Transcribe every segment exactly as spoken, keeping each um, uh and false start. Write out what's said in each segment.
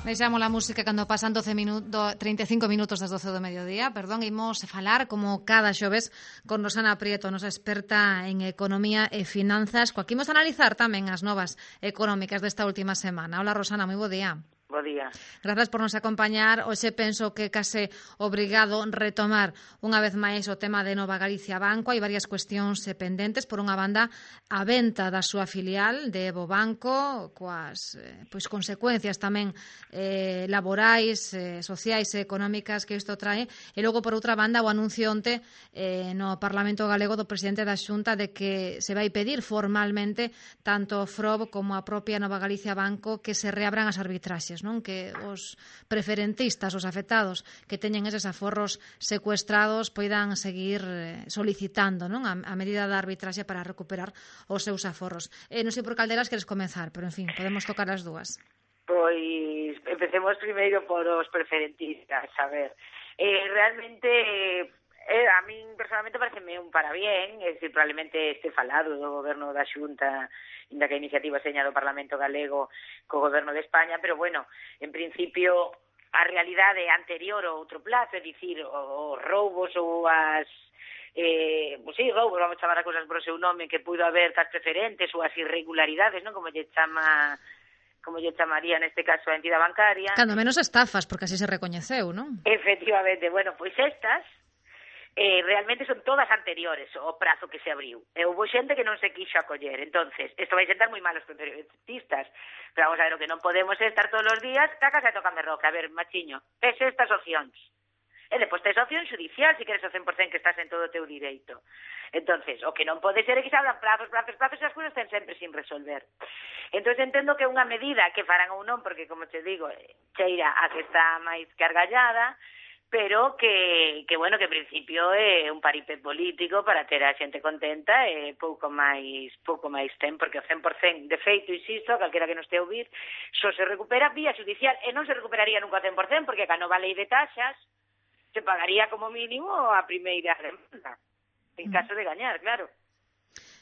Deixamos a música cando pasan doce minutos, treinta e cinco minutos das doce do mediodía. Perdón, imos falar como cada xoves con Rosana Prieto, nosa experta en economía e finanzas, coa que imos analizar tamén as novas económicas desta última semana. Hola Rosana, moi bo día. Bo día. Grazas por nos acompañar. Hoxe penso que case obrigado retomar unha vez máis o tema de Nova Galicia Banco. Hai varias cuestións pendentes. Por unha banda, a venta da súa filial de Evo Banco, coas eh, pois consecuencias tamén eh, laborais, eh, sociais e económicas que isto trae. E logo, por outra banda, o anuncio onte eh, no Parlamento Galego do presidente da Xunta de que se vai pedir formalmente tanto o F R O B como a propia Nova Galicia Banco que se reabran as arbitraxes, non? Que os preferentistas, os afectados que teñen eses aforros secuestrados poidan seguir solicitando, non? A, a medida da arbitraxe para recuperar os seus aforros. Eh, non sei por calderas queres comenzar, pero en fin, podemos tocar as dúas. Pois empecemos primeiro por os preferentistas, a ver. Eh, realmente eh, a min personalmente pareceme un parabén, é dicir, probablemente este falado do goberno da Xunta, inda que a iniciativa seña do Parlamento Galego co goberno de España, pero bueno, en principio a realidade anterior ao outro plazo, é dicir, os roubos ou as eh, pues sí, roubos, vamos chamar a cosas por o seu nome, que puido haber tas preferentes ou as irregularidades, non? Como lle chama como lle chamaría neste caso a entidade bancaria. Cando menos estafas, porque así se recoñeceu, non? Efectivamente, bueno, pois estas Eh, realmente son todas anteriores ao prazo que se abriu. E houve xente que non se quixo acoller. Entonces, isto vai sentar moi mal os preferentistas. Pero vamos a ver, o que non podemos é estar todos os días cacas e tocame roca. A ver, machiño, tes estas opcións. E depois tes a opción judicial, se queres o cen por cento que estás en todo o teu direito. Entonces, o que non pode ser é que se hablan plazos, plazos, plazos, e as cousas estén sempre sin resolver. Entonces, entendo que é unha medida que farán ou non, porque, como te digo, cheira a que está máis cargallada, pero que, que bueno, que en principio é un paripé político para ter a xente contenta e pouco máis pouco máis ten, porque o cen por cento de feito, insisto, calquera que non este a ouvir, só se recupera vía judicial e non se recuperaría nunca o cen por cento, porque ca nova lei de taxas se pagaría como mínimo a primeira demanda, en caso de gañar, claro.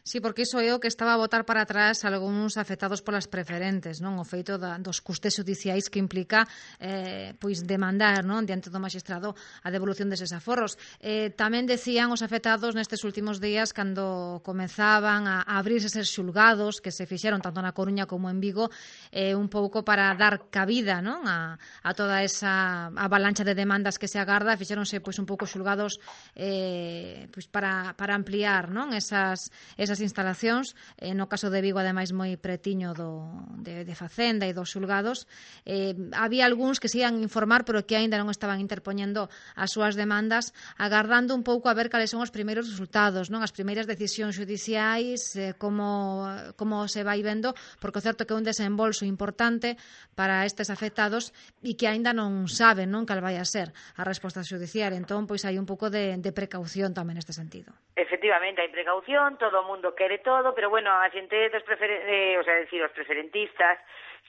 Sí, porque iso é o que estaba a botar para atrás algúns afectados polas preferentes, non? O feito da, dos custes judiciais que implica eh, pois demandar, non? Diante do magistrado a devolución deses aforros. Eh, tamén decían os afectados nestes últimos días cando comenzaban a, a abrirse eses xulgados que se fixeron tanto na Coruña como en Vigo, eh, un pouco para dar cabida, non? A, a toda esa avalancha de demandas que se agarda, fixeronse pois un pouco xulgados eh, pois para, para ampliar, non? Esas, esas as instalacións, eh, no caso de Vigo ademais moi pretiño do, de, de Facenda e dos xulgados. Eh, había algúns que se ian informar pero que aínda non estaban interpoñendo as súas demandas, agardando un pouco a ver cales son os primeiros resultados, non? As primeiras decisións judiciais, eh, como, como se vai vendo, porque o certo que é un desembolso importante para estes afectados e que aínda non saben, non, cal vai a ser a resposta judicial. Entón, pois hai un pouco de, de precaución tamén neste sentido. Efectivamente, hai precaución, todo o mundo quere todo, pero bueno, a xente dos preferen... eh, o sea, decir, os preferentistas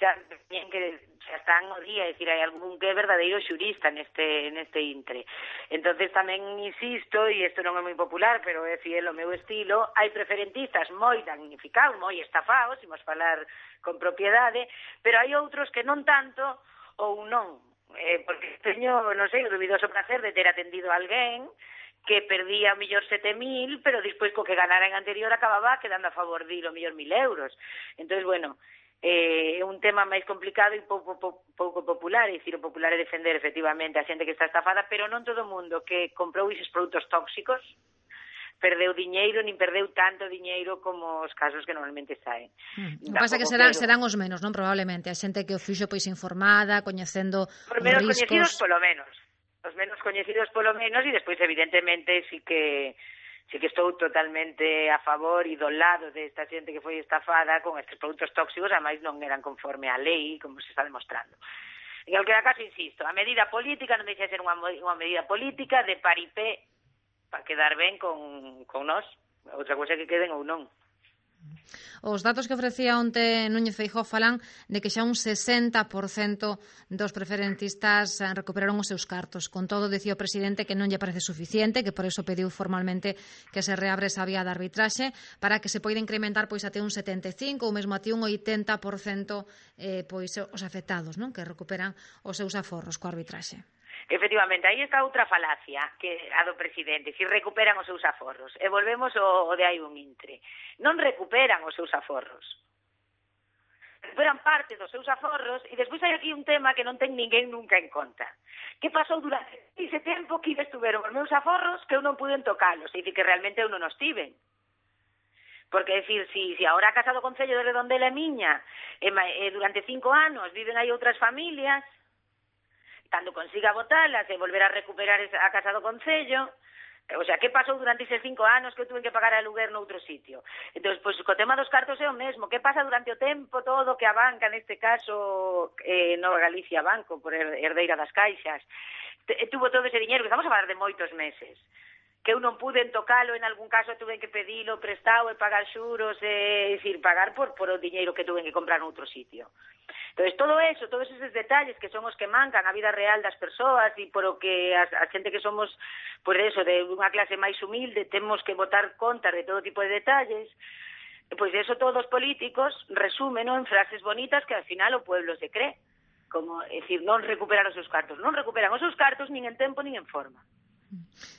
xa teñen que xa están o día, é dicir, hai algún que é verdadeiro xurista neste neste intre. Entonces tamén insisto, e isto non é moi popular, pero é fiel ao meu estilo, hai preferentistas moi damnificados, moi estafados, imos falar con propiedade, pero hai outros que non tanto ou non, eh, porque teño, non sei, o dubidoso placer de ter atendido a alguén que perdía o mellor sete mil, pero despois co que ganara en anterior acababa quedando a favor dilo o mellor mil euros. Entón, bueno, é eh, un tema máis complicado e pouco, pouco, pouco popular, é dicir, o popular é defender efectivamente a xente que está estafada, pero non todo o mundo que comprou esos produtos tóxicos perdeu diñeiro, nin perdeu tanto diñeiro como os casos que normalmente saen. Mm. O que pasa que serán, serán os menos, non? Probablemente, a xente que o fixo pois informada, coñecendo por menos riscos. Coñecidos polo menos. Os menos coñecidos polo menos, e despois evidentemente sí que sí que estou totalmente a favor e do lado desta xente que foi estafada con estes produtos tóxicos, ademais non eran conforme á lei, como se está demostrando. En calquera caso, insisto, a medida política non deixa de ser unha, unha medida política de paripé para quedar ben con, con nós, outra cousa que queden ou non. Os datos que ofrecía onte Núñez Feijóo falan de que xa un sesenta por cento dos preferentistas recuperaron os seus cartos. Con todo, dicía o presidente que non lle parece suficiente, que por eso pediu formalmente que se reabre esa vía de arbitraxe para que se poida incrementar pois até un setenta e cinco ou mesmo até un oitenta por cento eh, pois os afectados, non, que recuperan os seus aforros coa arbitraxe. Efectivamente, aí está outra falacia que a do presidente, si recuperan os seus aforros. E volvemos ao, ao de hai un intre. Non recuperan os seus aforros. Recuperan parte dos seus aforros e despois hai aquí un tema que non ten ninguén nunca en conta. Que pasou durante ese tempo que estuveron os meus aforros que eu non puden tocalos? E dicir que realmente eu non os tiven. Porque, é dicir, si, si ahora a Casa do Concello de Redondela é miña e, e durante cinco anos viven aí outras familias, cando consiga botalas e volver a recuperar a Casa do Concello, o sea, que pasou durante eses cinco anos que eu tuve que pagar aluguer noutro sitio? Entón, pois, co tema dos cartos é o mesmo. Que pasa durante o tempo todo que a banca, neste caso, eh, Nova Galicia Banco, por herdeira das caixas, tuvo todo ese diñeiro, que estamos a falar de moitos meses, que eu non pude tocalo, en algún caso tuve que pedilo prestado e pagar xuros, é dicir, pagar por, por o diñeiro que tuve que comprar noutro sitio. Entón, todo eso, todos eses detalles que son os que mancan a vida real das persoas e por o que a, a xente que somos, por eso, de unha clase máis humilde, temos que botar contas de todo tipo de detalles, pois eso todos os políticos resumen, non, en frases bonitas que al final o pueblo se cree, como, é dicir, non recuperar os seus cartos. Non recuperan os seus cartos nin en tempo nin en forma.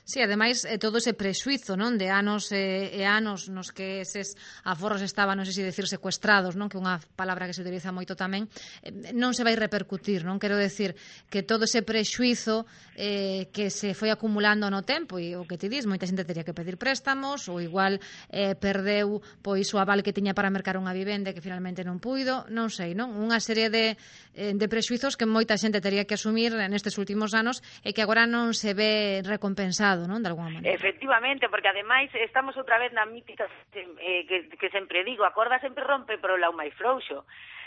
Sí, ademais, eh, todo ese prexuizo, non, de anos eh, e anos nos que eses aforros estaban, non sei se decir secuestrados, non, que é unha palabra que se utiliza moito tamén, eh, non se vai repercutir, non, quero decir que todo ese prexuizo eh, que se foi acumulando no tempo, e o que ti dis, moita xente teria que pedir préstamos, ou igual eh, perdeu pois o aval que tiña para mercar unha vivenda que finalmente non puido, non sei, non, unha serie de, eh, de prexuizos que moita xente teria que asumir nestes últimos anos e que agora non se ve recompensado, non, de alguma maneira. Efectivamente, porque ademais estamos outra vez na mítica eh, que, que sempre digo, a corda sempre rompe pero o lau máis frouxo.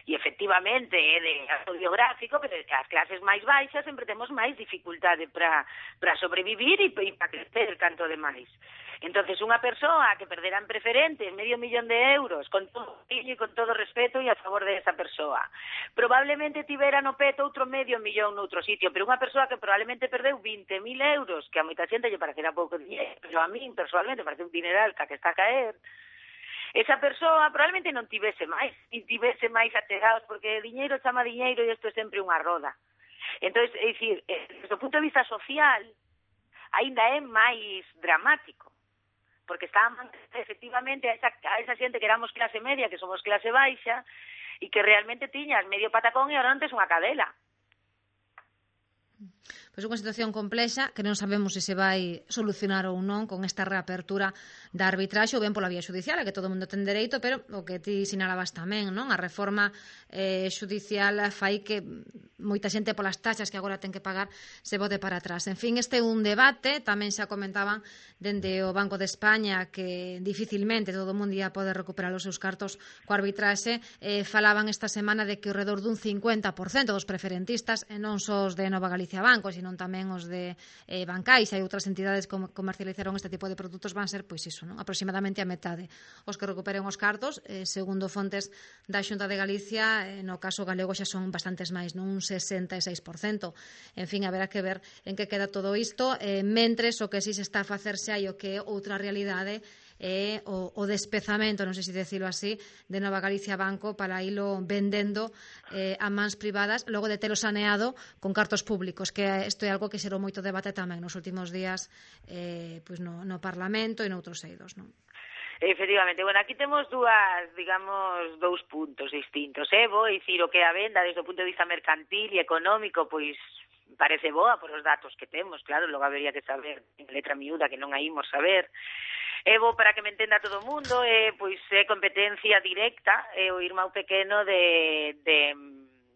E efectivamente é de autobiográfico, pero as clases máis baixas sempre temos máis dificultade para para sobrevivir e para crecer canto demais. Entonces, unha persoa que perderá en preferentes medio millón de euros, con todo e con todo respeto e a favor de esa persoa, probablemente tivera no peto outro medio millón noutro sitio, pero unha persoa que probablemente perdeu vinte mil euros, que a moita xente lle parecerá pouco dinheiro, pero a min, personalmente, parece un dineral que está a caer, esa persoa probablemente non tivese máis, e tivese máis achegados, porque diñeiro chama diñeiro e isto é sempre unha roda. Entón, é dicir, desde o punto de vista social, aínda é máis dramático, porque estaban efectivamente a esa, a esa xente que éramos clase media, que somos clase baixa, e que realmente tiñas medio patacón e ahora non tes unha cadela. Pois unha situación complexa que non sabemos se se vai solucionar ou non con esta reapertura da arbitraxe ou ben pola vía judicial, a que todo o mundo ten dereito, pero o que ti sinalabas tamén, non? A reforma eh, judicial fai que moita xente polas taxas que agora ten que pagar se bote para atrás. En fin, este é un debate, tamén xa comentaban dende o Banco de España que dificilmente todo o mundo ia poder recuperar os seus cartos coa arbitraxe. Eh, falaban esta semana de que ao redor dun cincuenta por cento dos preferentistas, e non só os de Nova Galicia Banco, sino tamén os de eh, Bancais e outras entidades que comercializaron este tipo de produtos, van ser, pois iso, non? Aproximadamente a metade os que recuperen os cartos, eh, segundo fontes da Xunta de Galicia, eh, no caso galego xa son bastantes máis, non? Un sesenta e seis por cento. En fin, haberá que ver en que queda todo isto, eh, mentres o que si se está a facerse hai o que é outra realidade é o, o despezamento, non sei se decirlo así, de Nova Galicia Banco para ilo vendendo eh, a mans privadas, logo de telo saneado con cartos públicos, que isto é algo que xerou moito debate tamén nos últimos días eh, pois no, no Parlamento e noutros eidos, non? Efectivamente, bueno, aquí temos dúas, digamos, dous puntos distintos, eh? Vou dicir o que a venda desde o punto de vista mercantil e económico, pois parece boa por os datos que temos, claro, logo habería que saber en letra miúda que non a imos saber. É bo para que me entenda todo o mundo, é, pois, é competencia directa, é o irmão pequeno de, de,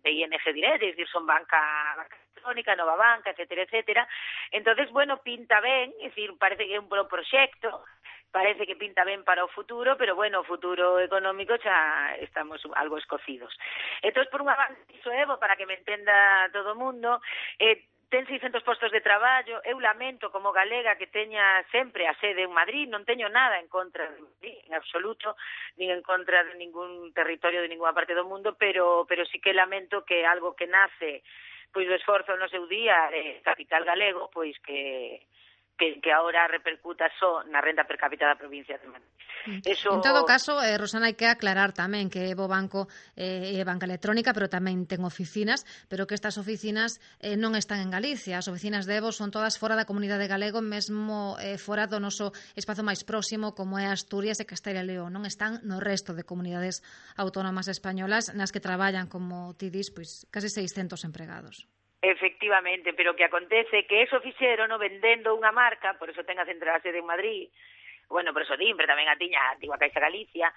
de I N G Direct, é dicir, son banca, banca electrónica, nova banca, etcétera, etcétera. Entonces, bueno, pinta ben, é dicir, parece que é un bo proxecto, parece que pinta ben para o futuro, pero, bueno, o futuro económico xa estamos algo escocidos. Entón, por unha banda, iso é bo para que me entenda todo o mundo, eh, ten seiscentos postos de traballo. Eu lamento como galega que teña sempre a sede en Madrid, non teño nada en contra de Madrid, en absoluto, nin en contra de ningún territorio de ninguna parte do mundo, pero pero sí que lamento que algo que nace pois do esforzo no seu día de capital galego, pois que que, que agora repercuta só na renda per cápita da provincia de Madrid. Eso... En todo caso, eh, Rosana, hai que aclarar tamén que Evo Banco eh, é banca electrónica, pero tamén ten oficinas, pero que estas oficinas eh, non están en Galicia. As oficinas de Evo son todas fora da comunidade galego, mesmo eh, fora do noso espazo máis próximo, como é Asturias e Castela e León. Non están no resto de comunidades autónomas españolas nas que traballan, como ti dis, pois, case seiscentos empregados. Efectivamente, pero o que acontece que eso fixeron no vendendo unha marca, por eso ten a central a sede en Madrid, bueno, por eso din, pero tamén a tiña a antigua Caixa Galicia,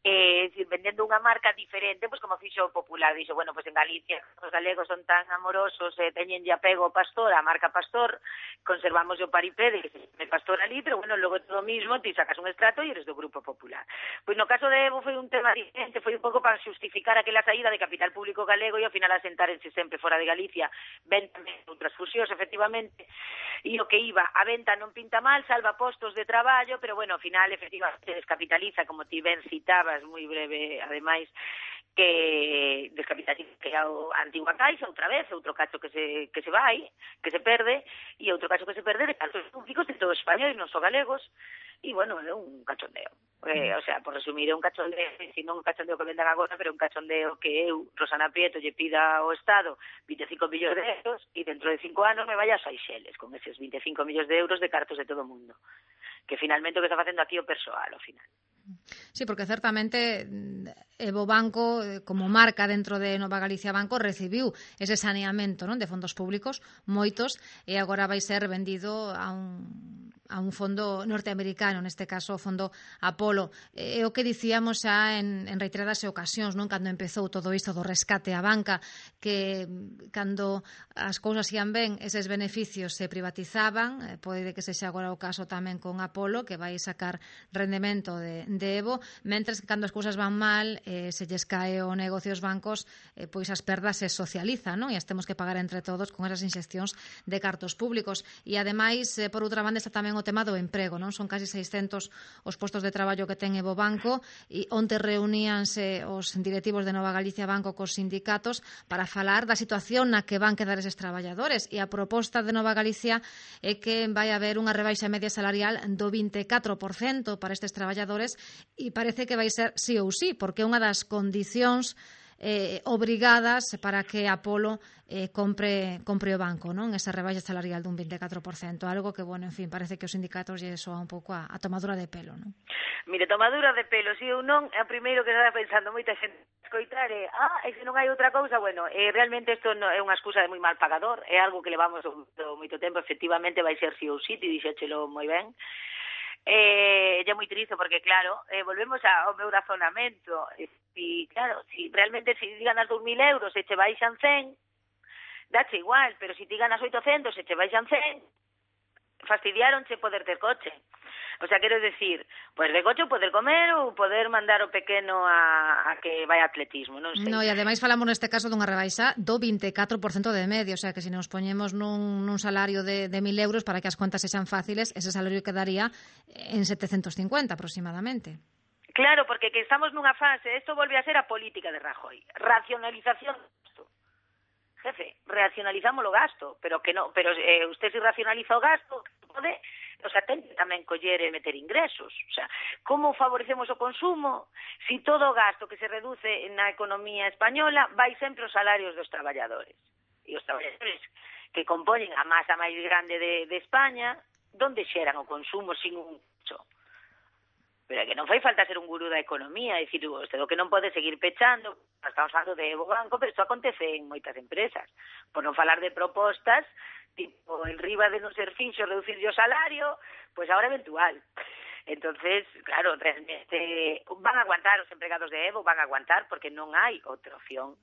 eh, vendendo unha marca diferente, pois como fixo o Popular, dixo, bueno, pois en Galicia os galegos son tan amorosos, eh, teñen ya apego ao Pastor, a marca Pastor, conservamos o paripé de que se chame Pastor ali, pero bueno, logo todo mismo, ti sacas un extrato e eres do Grupo Popular. Pois no caso de Evo foi un tema diferente, foi un pouco para justificar aquela saída de capital público galego e ao final asentárense sempre fora de Galicia, ven tamén outras fusións, efectivamente, e o que iba, a venta non pinta mal, salva postos de traballo, pero bueno, ao final, efectivamente, descapitaliza, como ti ben citabas, moi breve, ademais, que descapitaliza que a antigua Caixa outra vez, outro cacho que se que se vai, que se perde, e outro cacho que se perde de cartos públicos de todo España e non só galegos, e bueno, é un cachondeo. Eh, o sea, por resumir, é un cachondeo, si non un cachondeo que vendan agora, pero un cachondeo que eu, Rosana Prieto, lle pida ao Estado vinte e cinco millóns de euros e dentro de cinco anos me vaya a Seychelles con eses vinte e cinco millóns de euros de cartos de todo o mundo. Que finalmente o que está facendo aquí o persoal, ao final. Sí, porque certamente Evo Banco, como marca dentro de Nova Galicia Banco, recibiu ese saneamento, non, de fondos públicos, moitos, e agora vai ser vendido a un a un fondo norteamericano, neste caso o fondo Apolo. É o que dicíamos xa en, en reiteradas ocasións, non, cando empezou todo isto do rescate á banca, que cando as cousas ian ben, eses beneficios se privatizaban, eh, pode que sexa agora o caso tamén con Apolo, que vai sacar rendemento de, de Evo, mentres que cando as cousas van mal, eh, se lles cae o negocio aos bancos, eh, pois as perdas se socializan, non? E as temos que pagar entre todos con esas inxeccións de cartos públicos. E ademais, eh, por outra banda, está tamén o tema do emprego, non? Son casi seiscentos os postos de traballo que ten Evo Banco, e onte reuníanse os directivos de Nova Galicia Banco cos sindicatos para falar da situación na que van quedar eses traballadores, e a proposta de Nova Galicia é que vai haber unha rebaixa media salarial do vinte e catro por cento para estes traballadores, e parece que vai ser sí ou sí, porque é unha das condicións eh, obrigadas para que Apolo eh, compre, compre o banco, non? Esa rebaixa salarial dun vinte e catro por cento, algo que, bueno, en fin, parece que os sindicatos lle soa un pouco a, a tomadura de pelo, non? Mire, tomadura de pelo, si eu non, é o primeiro que estaba pensando moita xente escoitar é, ah, e se non hai outra cousa, bueno, eh, realmente isto non é unha excusa de moi mal pagador, é algo que levamos moito tempo, efectivamente vai ser si ou si, ti dixéchelo moi ben. Eh, é moi triste porque, claro, eh, volvemos ao meu razonamento, e, e claro, si realmente si ganas dous mil euros e che baixan cen, dache igual, pero si ti ganas oitocentos e che baixan cen, fastidiaronche poder ter coche. O sea, quero decir, pois de coche poder comer ou poder mandar o pequeno a, a que vai a atletismo, non sei. No, e ademais falamos neste caso dunha rebaixa do vinte e catro por cento de media, o sea, que se nos poñemos nun, nun salario de, de mil euros, para que as contas sexan fáciles, ese salario quedaría en setecentos cincuenta aproximadamente. Claro, porque que estamos nunha fase, isto volve a ser a política de Rajoy, racionalización do gasto. Jefe, racionalizamos o gasto, pero que no, pero eh, usted si racionaliza o gasto, pode, o sea, ten que tamén coller e meter ingresos. O sea, como favorecemos o consumo si todo o gasto que se reduce na economía española vai sempre os salarios dos traballadores? E os traballadores que compoñen a masa máis grande de, de España, donde xeran o consumo sin un cho? Pero é que non fai falta ser un gurú da economía, é dicir, usted o que non pode seguir pechando, estamos falando de Evo Banco, pero isto acontece en moitas empresas, por non falar de propostas, tipo, el riba de non ser fixo, reducir o salario, pois pues ahora eventual. Entonces, claro, realmente van a aguantar os empregados de Evo, van a aguantar, porque non hai outra opción,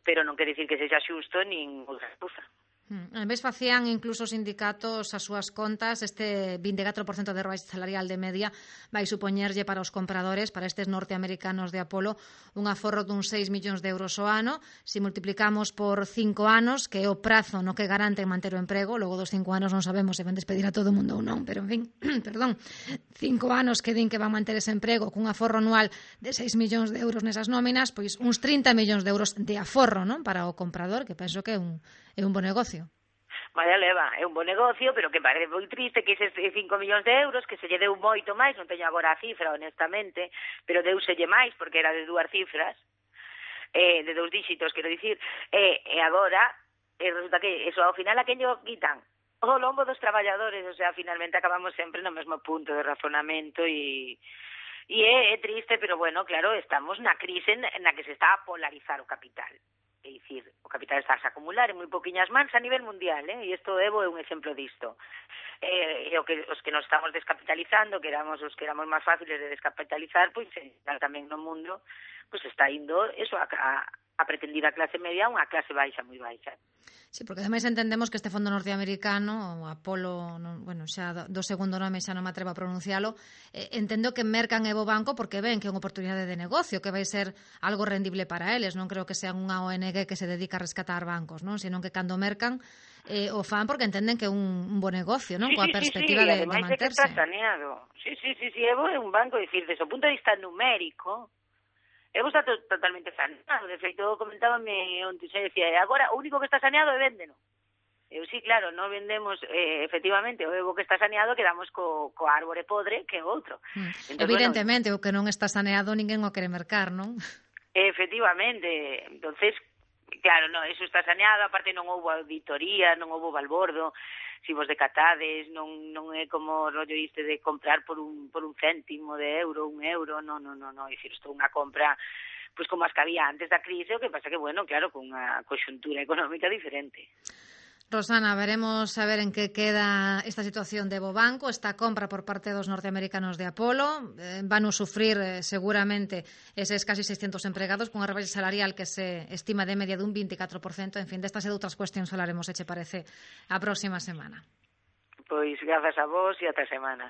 pero non quer dicir que sexa xusto nin outra cousa. En vez facían incluso os sindicatos as súas contas, este vinte e catro por cento de rebaixa salarial de media vai supoñerlle para os compradores, para estes norteamericanos de Apolo, un aforro dun seis millóns de euros ao ano. Se multiplicamos por cinco anos, que é o prazo no que garante manter o emprego, logo dos cinco anos non sabemos se van despedir a todo o mundo ou non, pero en fin, perdón, cinco anos que din que van manter ese emprego cun aforro anual de seis millóns de euros nesas nóminas, pois uns trinta millóns de euros de aforro, non, para o comprador, que penso que é un, é un bo negocio. Vaya leva, é un bo negocio, pero que parece moi triste que eses cinco millóns de euros, que se lle deu moito máis, non teño agora a cifra, honestamente, pero deuselle máis, porque era de dúas cifras, eh, de dous díxitos, quero dicir, e eh, agora, eh, resulta que eso ao final a quen lle quitan o lombo dos traballadores, o sea, finalmente acabamos sempre no mesmo punto de razonamento e... E é, é triste, pero bueno, claro, estamos na crise na que se está a polarizar o capital. É dicir, o capital está a acumular en moi poquiñas mans a nivel mundial, eh? E isto Evo é un exemplo disto. Eh, e o que, os que nos estamos descapitalizando, que éramos os que éramos máis fáciles de descapitalizar, pois tamén no mundo, pois está indo eso a, a, a pretendida clase media a unha clase baixa, moi baixa. Sí, porque ademais entendemos que este fondo norteamericano, o Apolo, no, bueno, xa do, do segundo nome xa non me atrevo a pronuncialo, eh, entendo que mercan Evo Banco porque ven que é unha oportunidade de negocio, que vai ser algo rendible para eles, non creo que sean unha O N G que se dedica a rescatar bancos, non, senón que cando mercan eh, o fan porque entenden que é un, un bo negocio, non, sí, coa sí, perspectiva sí, sí. de, de manterse. manterse. Que está saneado. Sí, sí, sí, sí, Evo é un banco, dicir, desde o punto de vista numérico, Evo está to totalmente saneado. De feito, comentábame onte, se decía, agora o único que está saneado é Véndeno. Eu sí, claro, non vendemos eh, efectivamente o Evo que está saneado, quedamos co, co árbore podre que é outro. Mm. Entón, evidentemente, bueno, o que non está saneado ninguén o quere mercar, non? Efectivamente. Entonces, claro, no, eso está saneado, aparte non houbo auditoría, non houbo balbordo, si vos decatades, non non é como o rollo este de comprar por un por un céntimo de euro, un euro, non, non, non, non, é dicir, isto é unha compra pois como as que había antes da crise, o que pasa que, bueno, claro, con unha conxuntura económica diferente. Rosana, veremos a ver en que queda esta situación de Evo Banco, esta compra por parte dos norteamericanos de Apolo. Eh, van a sufrir eh, seguramente eses casi seiscentos empregados con unha rebaixa salarial que se estima de media dun vinte e catro por cento. En fin, destas e de outras cuestións falaremos, se che parece, a próxima semana. Pois grazas a vos e ata semana.